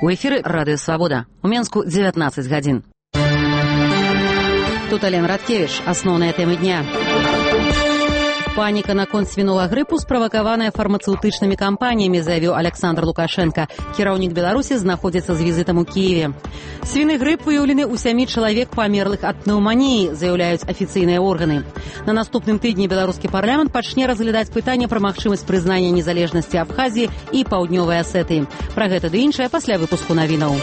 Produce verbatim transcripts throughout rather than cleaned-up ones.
У эфіры радыё Свабода. У Менску дзевятнаццаць гадзін. Тут Алена Радкевіч. Асноўныя тэмы дня. Паніка наконт свіновага грыпу справакаваная фармацэўтычнымі кампаніямі, заявіў Александр Лукашенко. Кіраўнік Беларусі знаходзіцца з візітам у Кіеве. Свіны грып выяўлены ў сямі чалавек памерлых ад пнеўманіі, заяўляюць афіцыйныя органы. На наступным тыдні беларускі парламент пачне разглядаць пытанне пра магчымасць прызнання незалежнасці Абхазіі і Паўднёвай Асетыі. Пра гэта ды іншае пасля выпуску навінаў.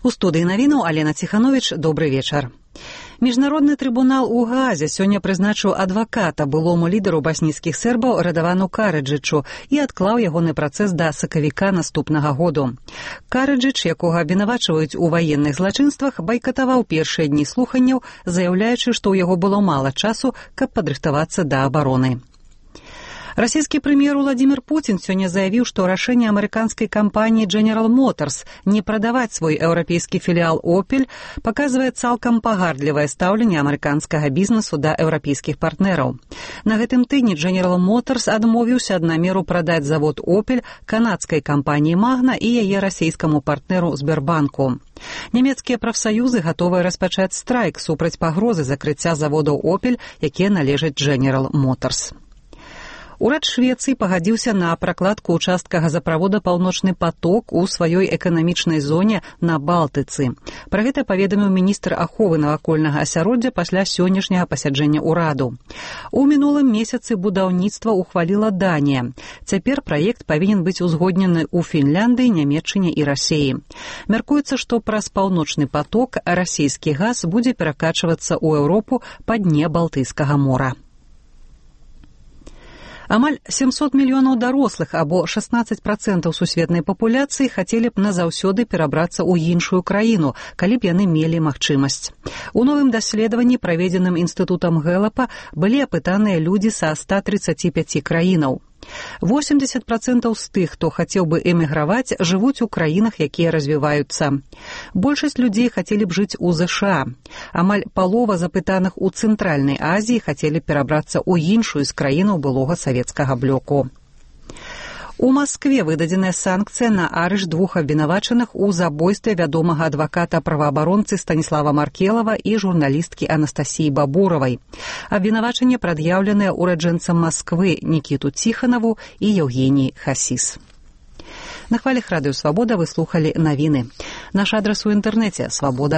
У студыі навінаў Алена Ціхановіч. Добры вечар. Міжнародны трыбунал у Гаазе сёння прызначыў адваката былому лідару баснійскіх сербаў Радавану Караджычу і адклаў ягоны працэс да сакавіка наступнага году. Караджыч, якога абвінавачваюць у ваенных злачынствах, байкатаваў першыя дні слуханняў, заяўляючы, што ў яго было мала часу, каб падрыхтавацца да абароны. Расійскі прэм'ер Владзімір Пуцін сёння заявіў, што рашэнне амерыканскай кампаніі General Motors не прадаваць свой еўрапейскі філіал Opel паказвае цалкам пагардлівае стаўленне амерыканскага бізнесу да еўрапейскіх партнераў. На гэтым тыдні General Motors адмовіўся ад намеру прадаць завод Opel канадскай кампаніі Magna і яе расійскаму партнеру Сбербанку. Нямецкія прафсаюзы гатовыя распачаць страйк супраць пагрозы закрыцця заводаў Opel, якія належаць General Motors. Урад Швецыі пагадзіўся на пракладку ўчастка газаправода «Паўночны поток» у сваёй эканамічнай зоне на Балтыцы. Пра гэта паведаміў міністр аховы навакольнага асяроддзя пасля сённяшняга пасяджэння ўраду. У мінулым месяцы будаўніцтва ухваліла Данія. Цяпер праект павінен быць узгоднены ў Фінляндыі, Нямецчыне і Расіі. Мяркуецца, што праз «Паўночны поток» расійскі газ будзе перакачвацца ў Еўропу па дне Балтыйскага мора. Амаль сямсот мільёнаў дарослых, або шаснаццаць працэнтаў сусветнай папуляцыі, хацелі б назаўсёды перабрацца ў іншую краіну, калі б яны мелі магчымасць. У новым даследаванні, праведзеным інстытутам Гэлапа, былі апытаныя людзі са ста трыццаці пяці краінаў. восемьдесят працэнтаў з тых, хто хацеў бы эміграваць, жывуць у краінах, якія развіваюцца. Большасць людзей хацелі б жыць у ЗША. Амаль палова запытаных у Цэнтральнай Азіі хацелі перабрацца ў іншую з краінаў былога савецкага блоку. У Маскве выдадзеная санкцыя на арышт двух абвінавачаных у забойстве вядомага адваката-праваабаронцы Станіслава Маркелава і журналісткі Анастасіі Бабуравай. Абвінавачанне прад'яўленае ураджэнцам Масквы Нікіту Ціханаву і Еўгеній Хасіс. На хвалях радыё Свабода вы слухалі навіны. Наш адрас у інтэрнэце свабода